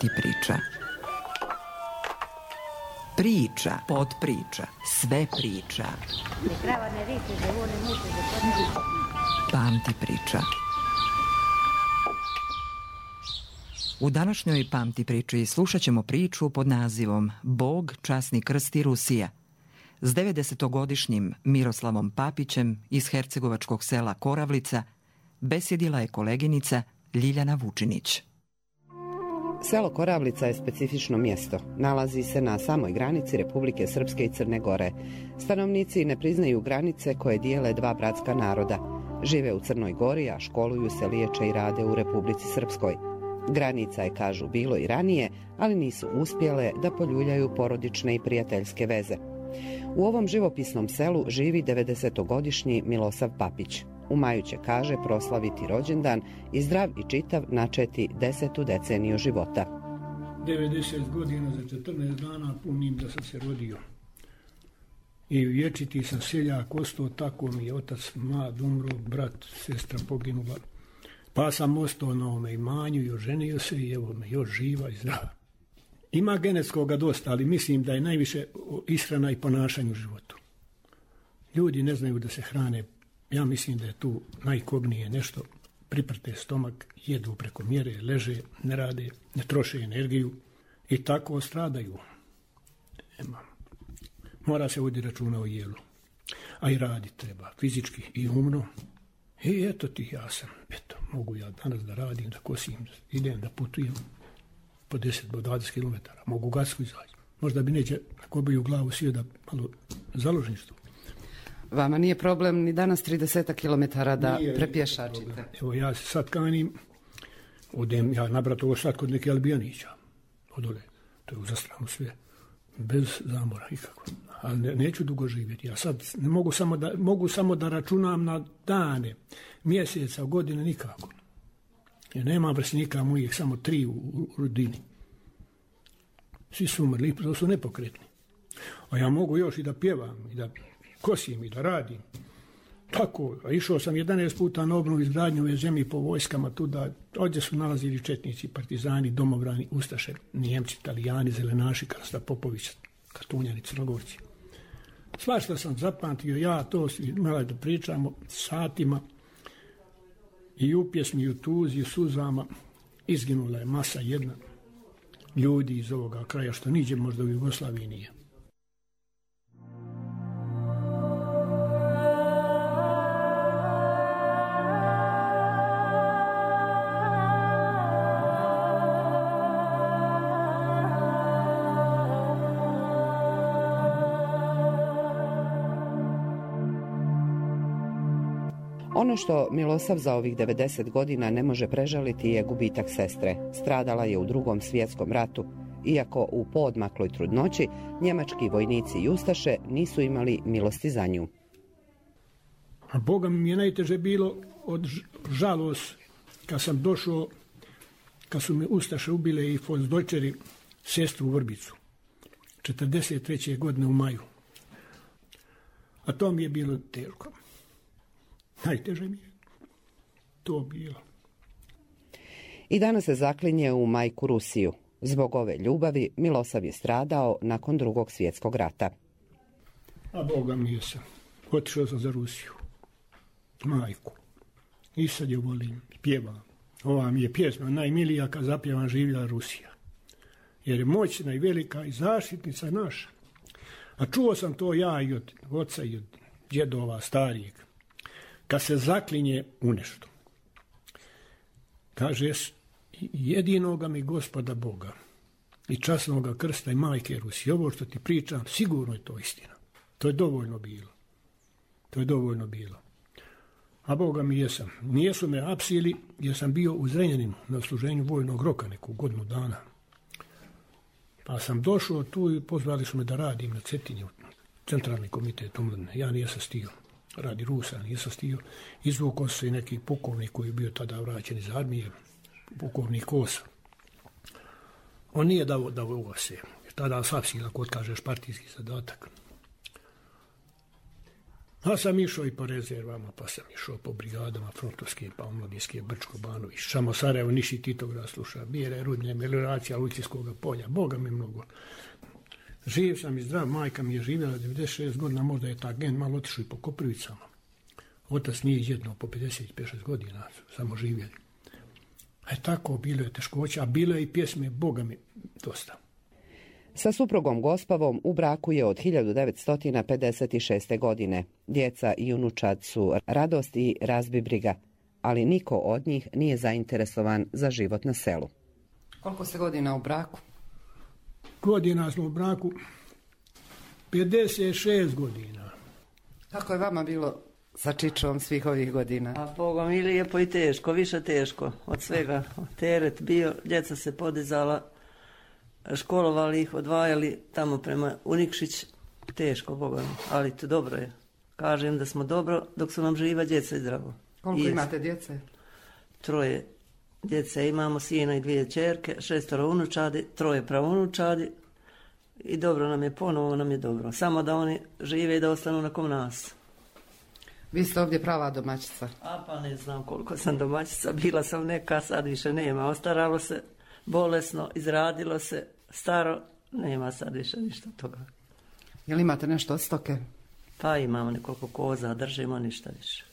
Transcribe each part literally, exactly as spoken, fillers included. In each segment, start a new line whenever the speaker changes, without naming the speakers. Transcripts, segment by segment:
Pamti priča. Priča, podpriča, sve priča. Pamti priča. U današnjoj Pamti priči slušat ćemo priču pod nazivom Bog, časni krst i Rusija s devedesetogodišnjim Miroslavom Papićem iz hercegovačkog sela Koravlica besjedila je koleginica Ljiljana Vučinić.
Selo Koravlica je specifično mjesto. Nalazi se na samoj granici Republike Srpske i Crne Gore. Stanovnici ne priznaju granice koje dijele dva bratska naroda. Žive u Crnoj Gori, a školuju se, liječe i rade u Republici Srpskoj. Granica je, kažu, bilo i ranije, ali nisu uspjele da poljuljaju porodične i prijateljske veze. U ovom živopisnom selu živi devedesetogodišnji Milosav Papić. U maju će, kaže, proslaviti rođendan i zdrav i čitav načeti desetu deceniju života.
devedeset godina za četrnaest dana punim da sam se rodio. I vječiti sam seljak ostao, tako mi je otac mlad umro, brat, sestra poginula. Pa sam ostao na ovome imanju i oženio se i evo me još živa i zdrava. Ima genetskoga dosta, ali mislim da je najviše ishrana i ponašanje u životu. Ljudi ne znaju da se hrane. Ja mislim da je tu najkobnije nešto. Priprte stomak, jedu preko mjere, leže, ne rade, ne troše energiju i tako stradaju. Nema. Mora se voditi računa o jelu. A i radi treba, fizički i umno. I eto ti, ja sam, eto, mogu ja danas da radim, da kosim, idem, da putujem po deset do dvadeset kilometara. Mogu gasku izaći. Možda bi neće ako bi u glavu sio da malo založništvo.
Vama nije problem ni danas trideset kilometara da nije prepješačite?
Evo ja se sad kanim, odem ja nabrat ovo sad kod neke Albijanića. Odole, to je u zastranu sve. Bez zamora ikako. Ali ne, neću dugo živjeti. Ja sad ne mogu samo da, mogu samo da računam na dane, mjeseca, godine, nikako. Jer nema vrstnika mojih, samo tri u, u rodini. Svi su umrli, to su nepokretni. A ja mogu još i da pjevam, i da kosim, i da radim. Tako, a išao sam jedanaest puta na obnovu izgradnju ove zemlje po vojskama tuda. Ovdje su nalazili četnici, partizani, domobrani, ustaše, Nijemci, Italijani, zelenaši, Krsta Popović, Kartunjani, Crnogorci. Svašta sam zapamtio, ja to imala da pričamo satima i u pjesmi, i u tuzi, i u suzama. Izginula je masa jedna ljudi iz ovoga kraja, što niđe možda u Jugoslaviji nije.
Ono što Milosav za ovih devedeset godina ne može prežaliti je gubitak sestre. Stradala je u Drugom svjetskom ratu. Iako u poodmakloj trudnoći njemački vojnici i ustaše nisu imali milosti za nju.
A Boga mi je najteže bilo od žalost kad sam došao, kad su me ustaše ubile i Fonsdojčeri sestru u Vrbicu. četrdeset treće godine u maju. A to mi je bilo teško. Najteže mi je to bilo.
I danas se zaklinje u majku Rusiju. Zbog ove ljubavi Milosav je stradao nakon Drugog svjetskog rata.
A Boga mi je sam. Otišao sam za Rusiju. Majku. I sad je volim, pjevam. Ova mi je pjesma najmilija kad zapjevam živjela Rusija. Jer je moćna i velika i zaštitnica naša. A čuo sam to ja i od oca i od djedova starijeg. Kad se zaklinje u nešto. Kaže, jedinoga mi Gospoda Boga i časnoga krsta i majke Rusije. Ovo što ti pričam, sigurno je to istina. To je dovoljno bilo. To je dovoljno bilo. A Boga mi jesam. Nijesu me apsili jer sam bio u Zrenjaninu na služenju vojnog roka neku godinu dana. Pa sam došao tu i pozvali su me da radim na Cetinju, centralni komitet omladine. Ja nijesam stio. Radi Rusa, nisam stio. Izvukao se i neki pukovnik koji je bio tada vraćen iz armije, pukovnik Kosa. On nije dao da ovo se, jer tada sapsila, ako otkažeš partijski zadatak. A sam išao i po rezervama, pa sam išao po brigadama frontovskim, pa omladinskim, Brčko, Banović, Šamo, Sarajevo, Niši, Titograd, sluša, Bijere, Rudnje, melioracija Lucijskog polja, Boga mi mnogo. Živ sam i zdrav, majka mi je živjela devedeset šest godina, možda je ta gen malo otišao i po Koprivicama. Otac nije jedno po pedeset pet šest godina, samo živjeli. E tako, bilo je teškoća, a bilo je i pjesme, Boga mi, dosta.
Sa suprugom Gospavom u braku je od hiljadu devetsto pedeset šeste. godine. Djeca i unučad su radost i razbibriga, ali niko od njih nije zainteresovan za život na selu. Koliko ste godina u braku?
Godina smo u braku, pedeset šest godina.
Kako je vama bilo sa Čičom svih ovih godina?
A Boga mi lijepo i teško, više teško od svega. Teret bio, djeca se podizala, školovali ih, odvajali tamo prema Unikšić, teško, Boga mi, ali to dobro je. Kažem da smo dobro dok su nam živa djeca i zdravo.
Koliko I imate djece?
Troje djece imamo, sina i dvije ćerke, šestoro unučadi, troje pravunučadi i dobro nam je, ponovo nam je dobro. Samo da oni žive i da ostanu nakon nas.
Vi ste ovdje prava domaćica.
A pa ne znam koliko sam domaćica, bila sam neka, sad više nema. Ostaralo se, bolesno, izradilo se, staro, nema sad više ništa toga.
Jel imate nešto od stoke?
Pa imamo nekoliko koza, držimo ništa više.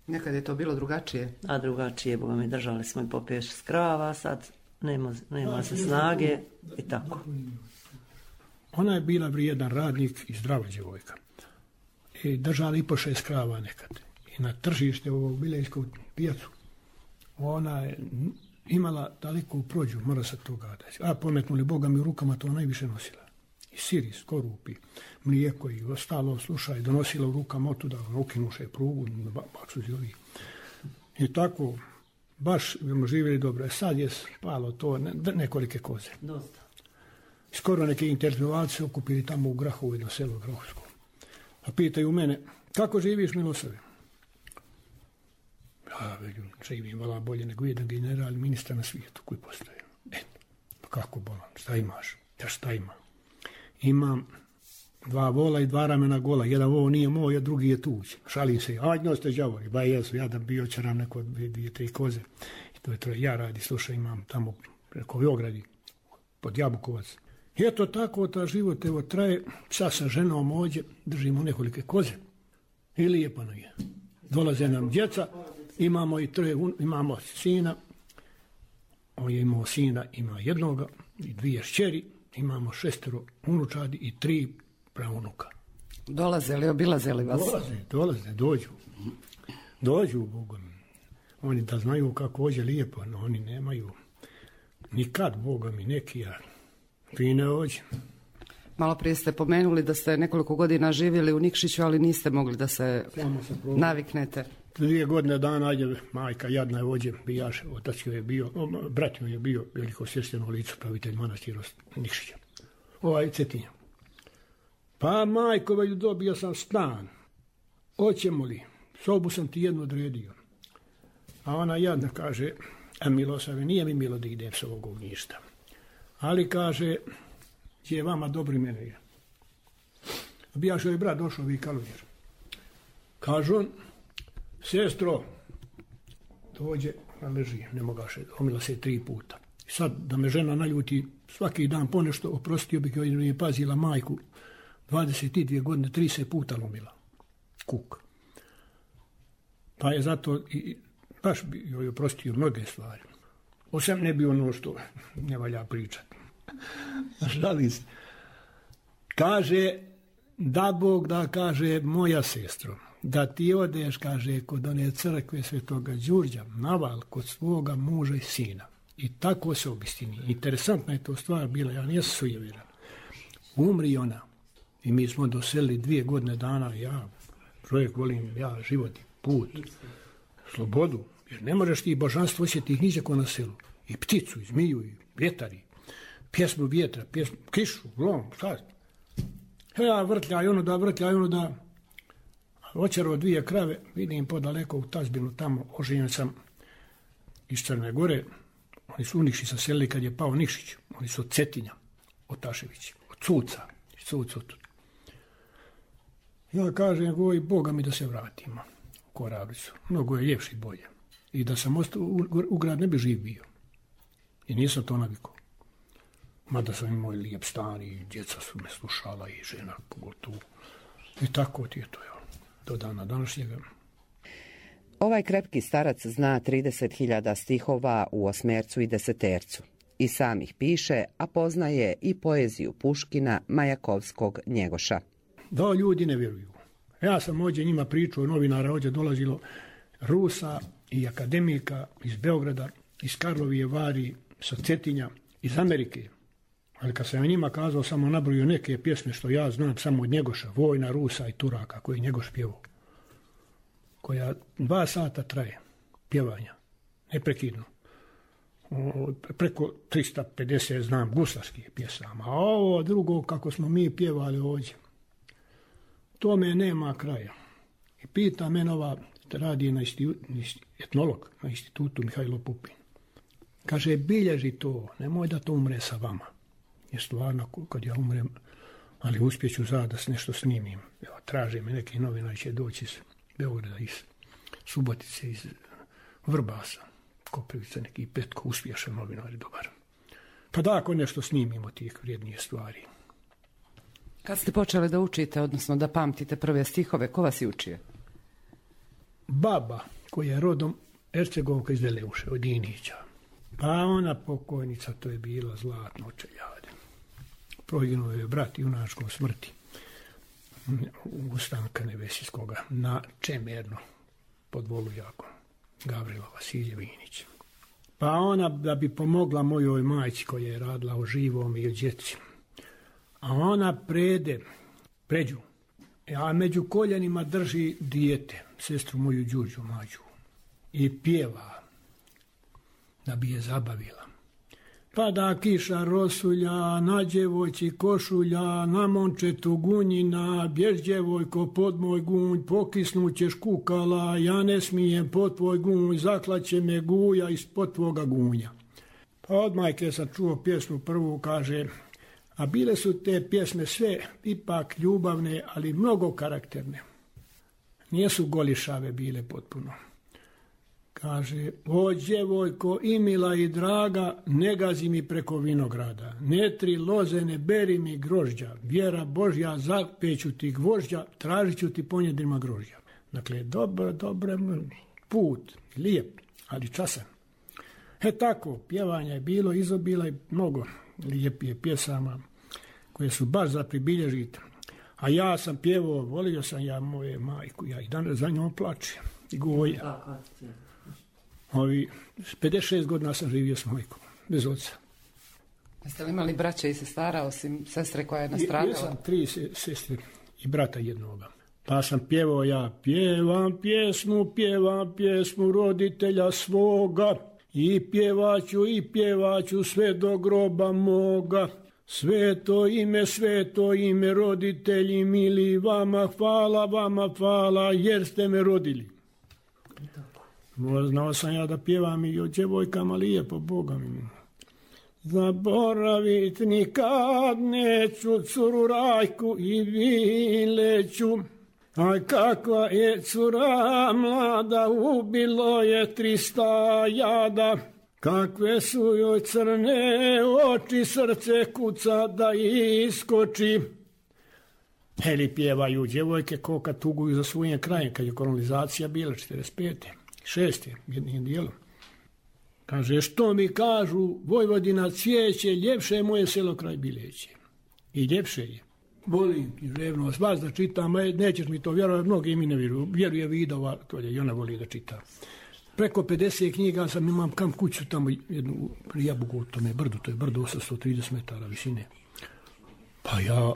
Nekad je to bilo drugačije?
A drugačije, Boga mi, držali smo i po pet šest krava, sad nema, nema se snage i tako.
Ona je bila vrijedan radnik i zdrava djevojka. I držala i po šest krava nekad. I na tržište u Bilejsku pijacu ona je imala daleku prođu, mora se toga dati. A pometnuli Boga mi u rukama to najviše nosila. I siris, korupi, mlijeko i ostalo, slušaj, donosila u rukama otuda, ukinuše prugu, baksu zili. I tako, baš smo živjeli dobro. Sad je spalo to ne, nekolike koze.
Dosta.
Skoro neki intelektualci se okupili tamo u Grahovu, jedno selo Grahovsko. A pitaju mene, kako živiš, Milosavi? Ja velim, živim vala bolje nego jedan general, ministar na svijetu koji postoje. Eto, pa kako bolan, šta imaš? Ja šta imam? Imam dva vola i dva ramena gola. Jedan vol nije moj, a drugi je tuđ. Šalim se, ajdno ste đavori. Ba jesu, ja da bio čaram neko dvije, dvije, tri koze. I to je troje. Ja radi, slušaj, imam tamo preko Beogradi, pod Jabukovac. I eto tako, ta život evo traje. Sad sa ženom ovdje držimo nekolike koze. I lijepo nam je. Dolaze nam djeca, imamo i troje, imamo sina. On je imao sina, ima jednoga i dvije šćeri. Imamo šestero unučadi i tri pravunuka.
Dolaze li, obilaze li vas?
Dolaze, dolaze, dođu. Dođu, Bogom. Oni da znaju kako ođe lijepo, no oni nemaju nikad, Boga mi, neki, ja fine ođe.
Malo prije ste pomenuli da ste nekoliko godina živjeli u Nikšiću, ali niste mogli da se naviknete.
Dvije godine dana, ajde, majka jadna je ođe, bijaš, otac joj je bio, o, brat joj je bio veliko svješteno lice, pravitelj manastira Nikšića. Ovaj Cetinja. Pa majko, već dobio sam stan. Hoćemo li? Sobu sam ti jednu odredio. A ona jadna kaže, a Milosave, nije mi milo da idem s ovog ništa. Ali kaže, je vama dobri mene je. Bijaš joj brat došao vi Kalunjer. Kaže on, sestro, dođe, leži, ne mogaše, omila se tri puta. I sad da me žena naljuti svaki dan ponešto, oprostio bih joj, nije pazila majku, dvadeset dvije godine, trideset puta lomila. Kuk. Pa je zato, i, baš bi joj oprostio mnoge stvari. Osam ne bi ono što ne valja pričati. Žali se. Kaže, da Bog da, kaže, moja sestro, da ti odeš, kaže, kod one crkve Svetoga Đurđa, naval kod svoga muža i sina. I tako se obistini. Interesantna je to stvar bila, ja nisam sujevjeran. Umri ona. I mi smo doselili dvije godine dana, ja, čovjek volim, ja, život, put, slobodu. Jer ne možeš ti božanstvo osjetiti niđako na selu. I pticu, i zmiju, i vjetar, i pjesmu vjetra, pjesmu, kišu, glom, šta? Ja vrtljaj ono da, vrtljaj ono da. Očerao dvije krave, vidim podaleko u tazbinu tamo, oženjen sam iz Crne Gore. Oni su u Nikšić se selili kad je pao Nikšić. Oni su od Cetinja, od Taševića, od Cuca, iz Cuca. Ja kažem, goj, Boga mi da se vratimo u Koravlicu. Mnogo je ljepše i bolje. I da sam ostao u, u grad ne bi živ bio. I nisam to navikao. Mada sam imao lijep stan i djeca su me slušala i žena pogotovo. I tako ti je to, ja, do dana današnjega.
Ovaj krepki starac zna trideset hiljada stihova u osmercu i desetercu. I sam ih piše, a poznaje i poeziju Puškina, Majakovskog, Njegoša.
Da, ljudi ne vjeruju. Ja sam ovdje njima pričao, novinara ovdje dolazilo Rusa i akademika iz Beograda, iz Karlovije Vari, sa Cetinja, iz Amerike. Ali kad sam ja njima kazao, samo nabrojio neke pjesme što ja znam samo od Njegoša, Vojna, Rusa i Turaka, koji je Njegoš pjevao, koja dva sata traje pjevanja, neprekidno. Preko tristo pedeset znam guslarskih pjesama, a ovo drugo kako smo mi pjevali ovdje, tome nema kraja. I pita mene ova, radi na isti, etnolog na institutu Mihajlo Pupin. Kaže, bilježi to, nemoj da to umre sa vama. Jer stvarno, kad ja umrem, ali uspjeću za da nešto snimim. Evo, traže me neki novinari će doći iz Beograda, iz Subotice, iz Vrbasa, Koprivica, neki Petko, uspješan novinar, dobar. Pa da, ako nešto snimimo tih vrijednije stvari.
Kad ste počeli da učite, odnosno da pamtite prve stihove, ko vas je učio?
Baba, koja je rodom Ercegovka iz Veleuše, od Inića. Pa ona pokojnica, to je bila Zlatno Čeljade. Proginuo je brat junačkom smrti Ustanka Nebesijskoga na Čemerno pod Volujakom, Gavrila Vasiljevinić. Pa ona, da bi pomogla mojoj majci koja je radila o živom i o djeci, a ona prede, pređu, a među koljenima drži dijete, sestru moju Đurđu Mađu, i pjeva da bi je zabavila. Pada kiša rosulja, na djevojci košulja, na momčetu gunjina, bjež djevojko pod moj gunj, pokisnućeš kukala, ja ne smijem pod tvoj gunj, zaklaće me guja ispod tvoga gunja. Pa od majke sam čuo pjesmu prvu, kaže, a bile su te pjesme sve ipak ljubavne, ali mnogo karakterne. Nijesu golišave bile potpuno. Kaže, o djevojko i mila i draga, ne gazi mi preko vinograda, ne tri loze, ne beri mi grožđa, vjera Božja, zapeću ti gvožđa, tražit ću ti ponjedrima grožđa. Dakle, dobar, dobar put, lijep, ali časan. E tako, pjevanja je bilo, izobila i mnogo lijepije pjesama koje su baš za pribilježiti. A ja sam pjevao, volio sam ja moje majku, ja i danas za njom plačem i goja. Ovi, pedeset šest godina sam živio s majkom, bez oca.
Jeste li imali braće i sestara, osim sestre koja je nastradala?
Ja sam tri sestre i brata jednoga. Pa sam pjevao ja, pjevam pjesmu, pjevam pjesmu roditelja svoga, i pjevaću, i pjevaću sve do groba moga. Sveto ime, sveto ime, roditelji mili, vama hvala, vama hvala, jer ste me rodili. Znao sam ja da pjevam i o djevojkama lijepo, Boga mi. Zaboravit nikad neću curu Rajku i Vileću, a kakva je cura mlada, ubilo je trista jada. Kakve su joj crne oči, srce kuca da iskoči. Heli pjevaju djevojke ko kad tuguju za svojim krajem, kad je kolonizacija bila četrdeset pete. Šeste, jednim dijelom. Kaže, što mi kažu, Vojvodina cvijeće, ljepše je moje selo kraj Bileće. I ljepše je. Volim književno vas da čitam, nećeš mi to vjerovati, mnogi mi ne vjeruju. Vjeruje Vidova, to je, i ona voli da čita. Preko pedeset knjiga sam, imam kam kuću tamo, jednu Jabugu, u tome brdu, to je brdo osamsto trideset metara visine. Pa ja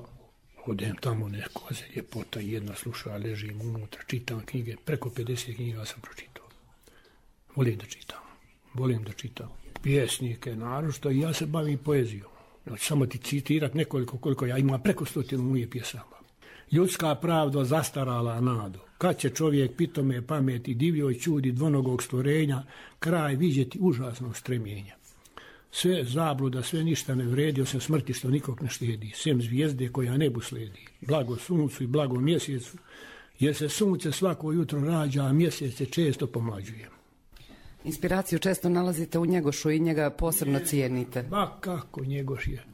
odem tamo neko, a ljepota, jedna sluša, ležim unutra, čitam knjige, preko pedeset knjiga sam pročitao. Volim da čitam, volim da čitam pjesnike, naročito, i ja se bavim poezijom. Znači, samo ti citirat nekoliko, koliko ja imam, preko stotinu mojih pjesama. Ljudska pravda zastarala nado, kad će čovjek pitome pameti, divljoj čudi dvonogog stvorenja, kraj vidjeti užasnog stremljenja. sve zabluda, sve ništa ne vredi, osim smrti što nikog ne štedi, sem zvijezde koja nebu sledi, blago suncu i blago mjesecu, jer se sunce svako jutro rađa, a mjesec se često pomlađuje.
Inspiraciju često nalazite u Njegošu i njega posebno cijenite.
Ba kako Njegoš je.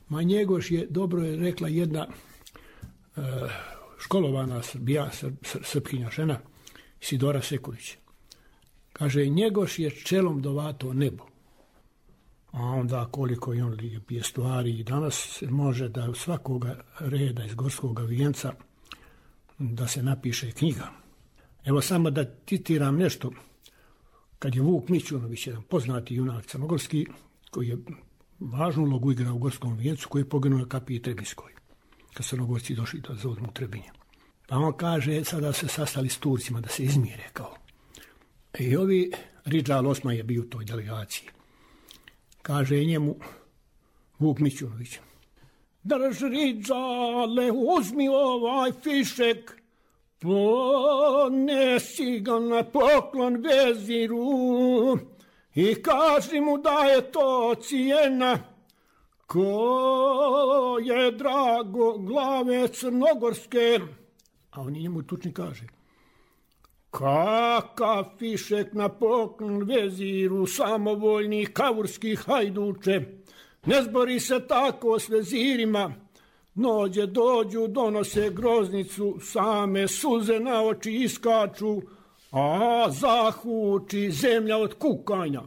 Ma Njegoš je, dobro je rekla jedna uh, školovana srbija, sr, sr, srpkinja žena, Sidora Sekulić. Kaže, Njegoš je čelom dovato nebo. A onda koliko je on lijepije stvari i danas se može da u svakoga reda iz Gorskoga vijenca da se napiše knjiga. Evo samo da citiram nešto. Kad je Vuk Mićunović, jedan poznati junak crnogorski, koji je važnu ulogu igrao u Gorskom vijencu, koji je poginuo na kapiji Trebinskoj, kad Crnogorci došli da zauzmu Trebinje. Pa on kaže, sada se sastali s Turcima da se izmire kao. I ovi, Ridžal Osman je bio u toj delegaciji. Kaže njemu Vuk Mićunović, drž Ridžale, uzmi ovaj fišek, ponesi ga na poklon veziru i kaži mu da je to cijena ko je drago glave crnogorske. A on njemu tučni kaže, kakav fišek na poklon veziru, samovoljni kavurski hajduče, ne zbori se tako s vezirima, nođe dođu, donose groznicu, same suze na oči iskaču, a zahuči zemlja od kukanja.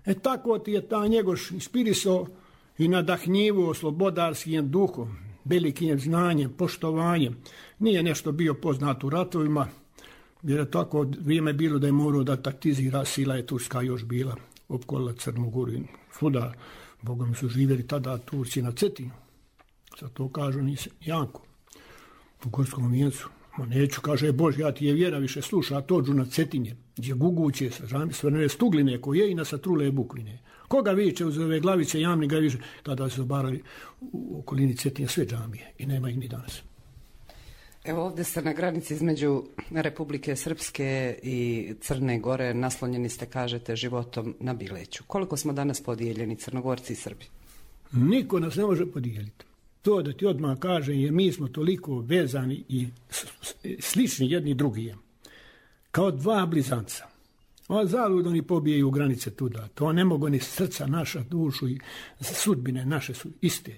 E tako ti je ta Njegoš inspirisao i nadahnjivo slobodarskim duhom, velikim znanjem, poštovanjem. Nije nešto bio poznat u ratovima, jer je tako vrijeme bilo da je morao da taktizira, sila je Turska još bila, opkolila Crnu Goru. Svuda, Bogom su živjeli tada Turci na Cetinu. Sad to kažu nisi Janko u Gorskom vijencu. Ma neću, kaže, Bož, ja ti je vjera više sluša, a tođu na Cetinje, gdje guguće sa svrnene stugline koje i na satrule bukvine. Koga viče uz ove glavice jamni ga više, tada se obarali u okolini Cetinja sve džamije i nema ih ni danas.
Evo ovdje ste na granici između Republike Srpske i Crne Gore, naslonjeni ste, kažete, životom na Bileću. Koliko smo danas podijeljeni, Crnogorci i Srbi?
Niko nas ne može podijeliti. To da ti odmah kaže je mi smo toliko vezani i slični jedni drugije. Kao dva blizanca. Ova zalud oni pobijaju granice tuda. To ne mogu ni srca naša, dušu i sudbine naše su iste.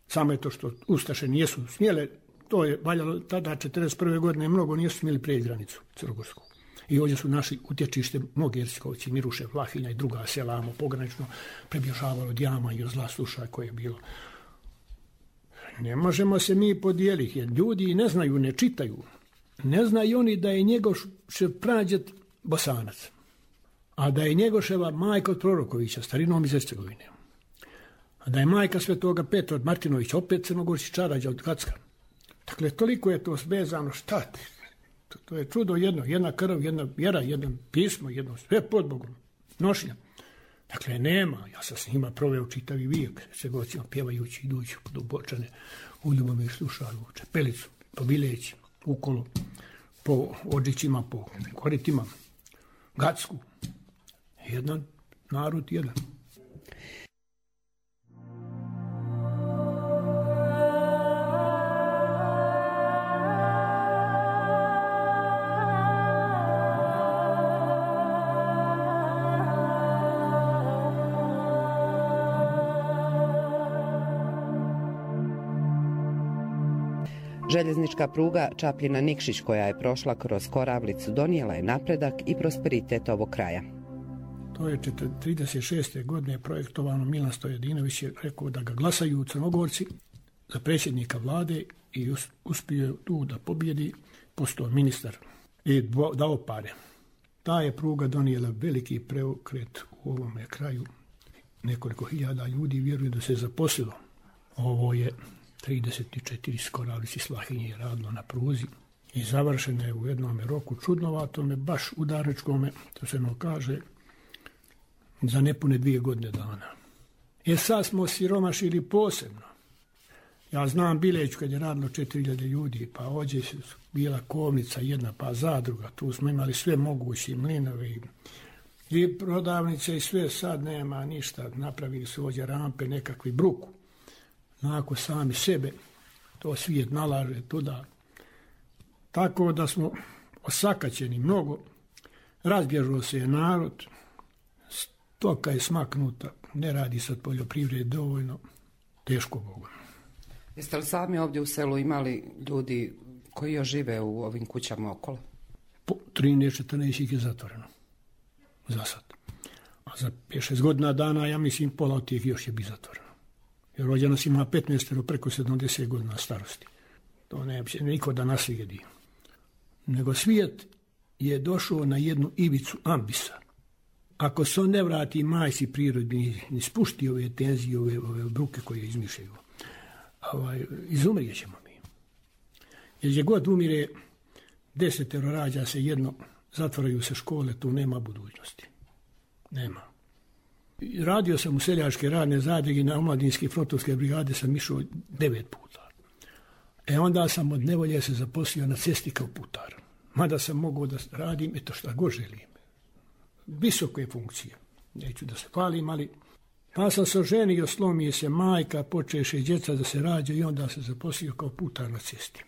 Samo je to što Ustaše nijesu smjele, to je valjalo tada četrdeset prve godine, mnogo nijesu smjeli prijeći granicu Crnogorsku. I ovdje su naši utječište, mnogi Jerskovci, Miruše, Vlahinja i druga selamo pogranično prebježavalo od jama i od zla slušaj koje je bilo. Ne možemo se mi podijeliti, jer ljudi ne znaju, ne čitaju. Ne znaju oni da je Njegošev prađet Bosanac, a da je Njegoševa majka od Prorokovića, starinom iz Hercegovine, a da je majka svetoga Petra od Martinovića, opet Crnogorci Čarađa od Kacka. Dakle, toliko je to svezano, šta ti? To, to je čudo jedno, jedna krv, jedna vjera, jedno pismo, jedno sve pod Bogom, nošnja. Dakle, nema, ja sam s njima proveo čitavi vijek, Hercegovcima pjevajući, idući do Bočane, u Ljubomir slušali u Čepelicu, po Bileći, ukolo, po Odžićima, po Koritima, Gacku. Jedan narod, jedan.
Željeznička pruga Čapljina-Nikšić koja je prošla kroz Koravlicu donijela je napredak i prosperitet ovog kraja.
To je trideset šeste godine projektovano. Milan Stojadinović je rekao da ga glasaju Crnogorci za predsjednika vlade i uspio tu da pobjedi, postao ministar i dao pare. Ta je pruga donijela veliki preokret u ovome kraju. Nekoliko hiljada ljudi vjeruju da se zaposlilo. Ovo je trideset četiri Koravlici Slahinje radilo na pruzi i završeno je u jednom roku čudnovatome, baš udarničkome, to se no kaže, za nepune dvije godine dana. E sad smo siromašili posebno. Ja znam Bileć kad je radilo četiri hiljade ljudi, pa ovdje bila kovnica jedna, pa zadruga, tu smo imali sve moguće mlinove i I prodavnice i sve, sad nema ništa. Napravili su ovdje rampe, nekakvi bruku. Onako sami sebe, to svijet nalaže tuda. Tako da smo osakaćeni mnogo. Razbježao se je narod. Stoka je smaknuta. Ne radi se od poljoprivrede dovoljno. Teško Bogu.
Jeste li sami ovdje u selu imali ljudi koji još žive u ovim kućama okolo?
Po trinaest četrnaest ih je zatvoreno. Za sad. A za pet šest godina dana, ja mislim, pola od tih još je bi zatvoreno. Jer ovdje nas ima petnaest preko sedamdeset godina starosti. To ne je niko da naslijedi. Nego svijet je došao na jednu ivicu ambisa. Ako se on ne vrati majci prirodi, ni spušti ove tenzije, ove, ove bruke koje izmišljaju, ovaj, izumrijet ćemo mi. Jer gdje god umire, desetero rađa se jedno, zatvaraju se škole, tu nema budućnosti. Nema. Radio sam u seljačke radne zadruge, na omladinske frontovske brigade sam išao devet puta. E onda sam od nevolje se zaposlio na cesti kao putar. Mada sam mogao da radim, eto šta god želim. Visoke funkcije. Neću da se hvalim, ali pa sam se oženio, slomije se majka, počeše djeca da se rađa i onda se zaposlio kao putar na cesti.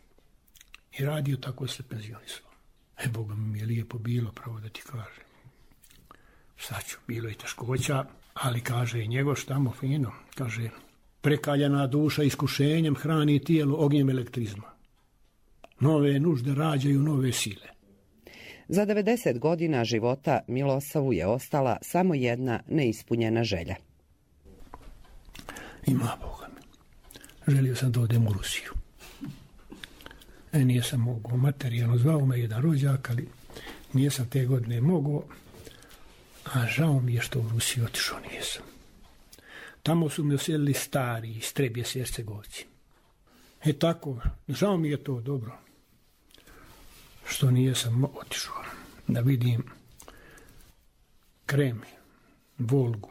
I radio, tako se penzionisao. E, Boga mi je lijepo bilo, pravo da ti kažem. Sad ću, bilo i teškoća, ali kaže i njegov štamo fino, kaže, prekaljena duša iskušenjem hrani tijelo ognjem elektrizma. Nove nužde rađaju nove sile.
Za devedeset godina života Milosavu je ostala samo jedna neispunjena želja.
Ima Boga mi. Želio sam da odem u Rusiju. E, nije sam mogao materijalno, zvao me jedan rođak, ali nije sam te godine mogao, a žao mi je što u Rusiju otišao nisam. Tamo su mi oselili stari iz Trebje s Hercegovci. E tako, žao mi je to dobro, što nije sam otišao da vidim Krem, Volgu.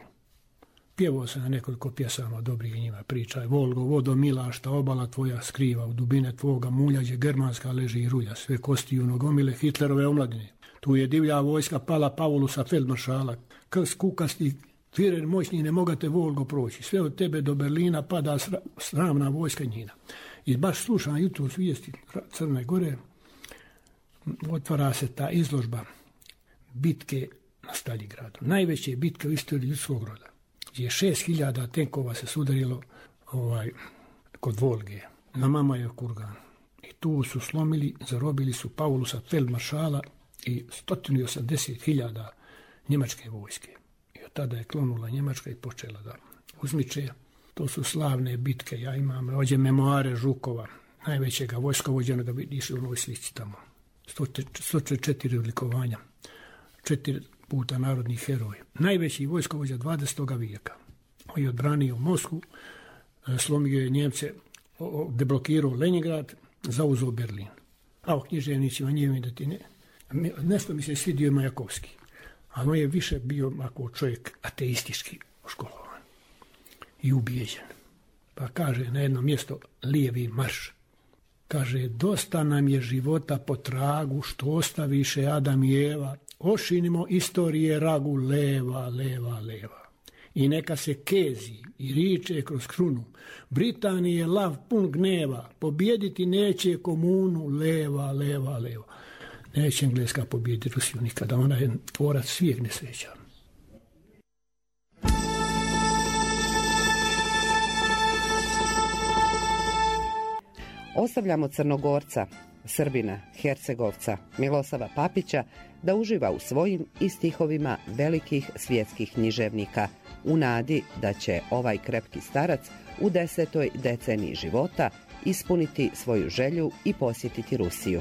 Pjevao sam na nekoliko pjesama dobrih njima priča. Volgo, vodo mila, šta obala tvoja skriva, u dubine tvoga muljađe germanska leži i rulja, sve kosti u nogomile Hitlerove omladine. Tu je divlja vojska pala Paulusa feldmaršala, krst kukasti, Führer moćni, ne mogate Volgo proći, sve od tebe do Berlina pada sramna vojska njina. I baš slušam jutros vijesti Crne Gore, otvara se ta izložba bitke na Staljingradu. Najveće bitke u istoriji ljudskog roda, gdje je šest hiljada tenkova se sudarilo ovaj, kod Volge, na Mamajov kurgan. I tu su slomili, zarobili su Paulusa feldmaršala i sto osamdeset hiljada njemačke vojske. I od tada je klonula Njemačka i počela da uzmiče. To su slavne bitke. Ja imam ovdje memoare Žukova, najvećega vojskovođena, da vidiš u onoj slici tamo. sto četiri odlikovanja, četiri puta narodni heroj. Najveći vojskovođa dvadesetog vijeka. On je odbranio Moskvu, slomio je Njemce, deblokirao Leningrad, zauzeo Berlin. A o književnicima nije da ti ne... Nešto mi se svidio Majakovski, ali on je više bio ako čovjek ateistički školovan i ubijeđen. Pa kaže na jedno mjesto lijevi marš. Kaže, dosta nam je života po tragu što ostaviše Adam i Eva, ošinimo istorije ragu leva, leva, leva. I neka se kezi i riče kroz krunu, Britanije lav pun gneva, pobjediti neće komunu, leva, leva, leva. Neće Engleska pobijediti Rusiju nikada, ona je tvorac svijeg nesreća.
Ostavljamo Crnogorca, Srbina, Hercegovca, Milosava Papića da uživa u svojim i stihovima velikih svjetskih književnika u nadi da će ovaj krepki starac u desetoj deceniji života ispuniti svoju želju i posjetiti Rusiju.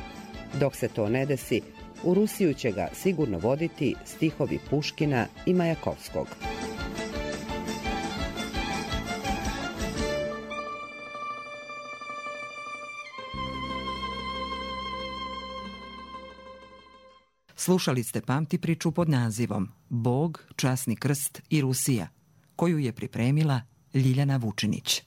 Dok se to ne desi, u Rusiju će ga sigurno voditi stihovi Puškina i Majakovskog.
Slušali ste pamti priču pod nazivom Bog, časni krst i Rusija, koju je pripremila Ljiljana Vučinić.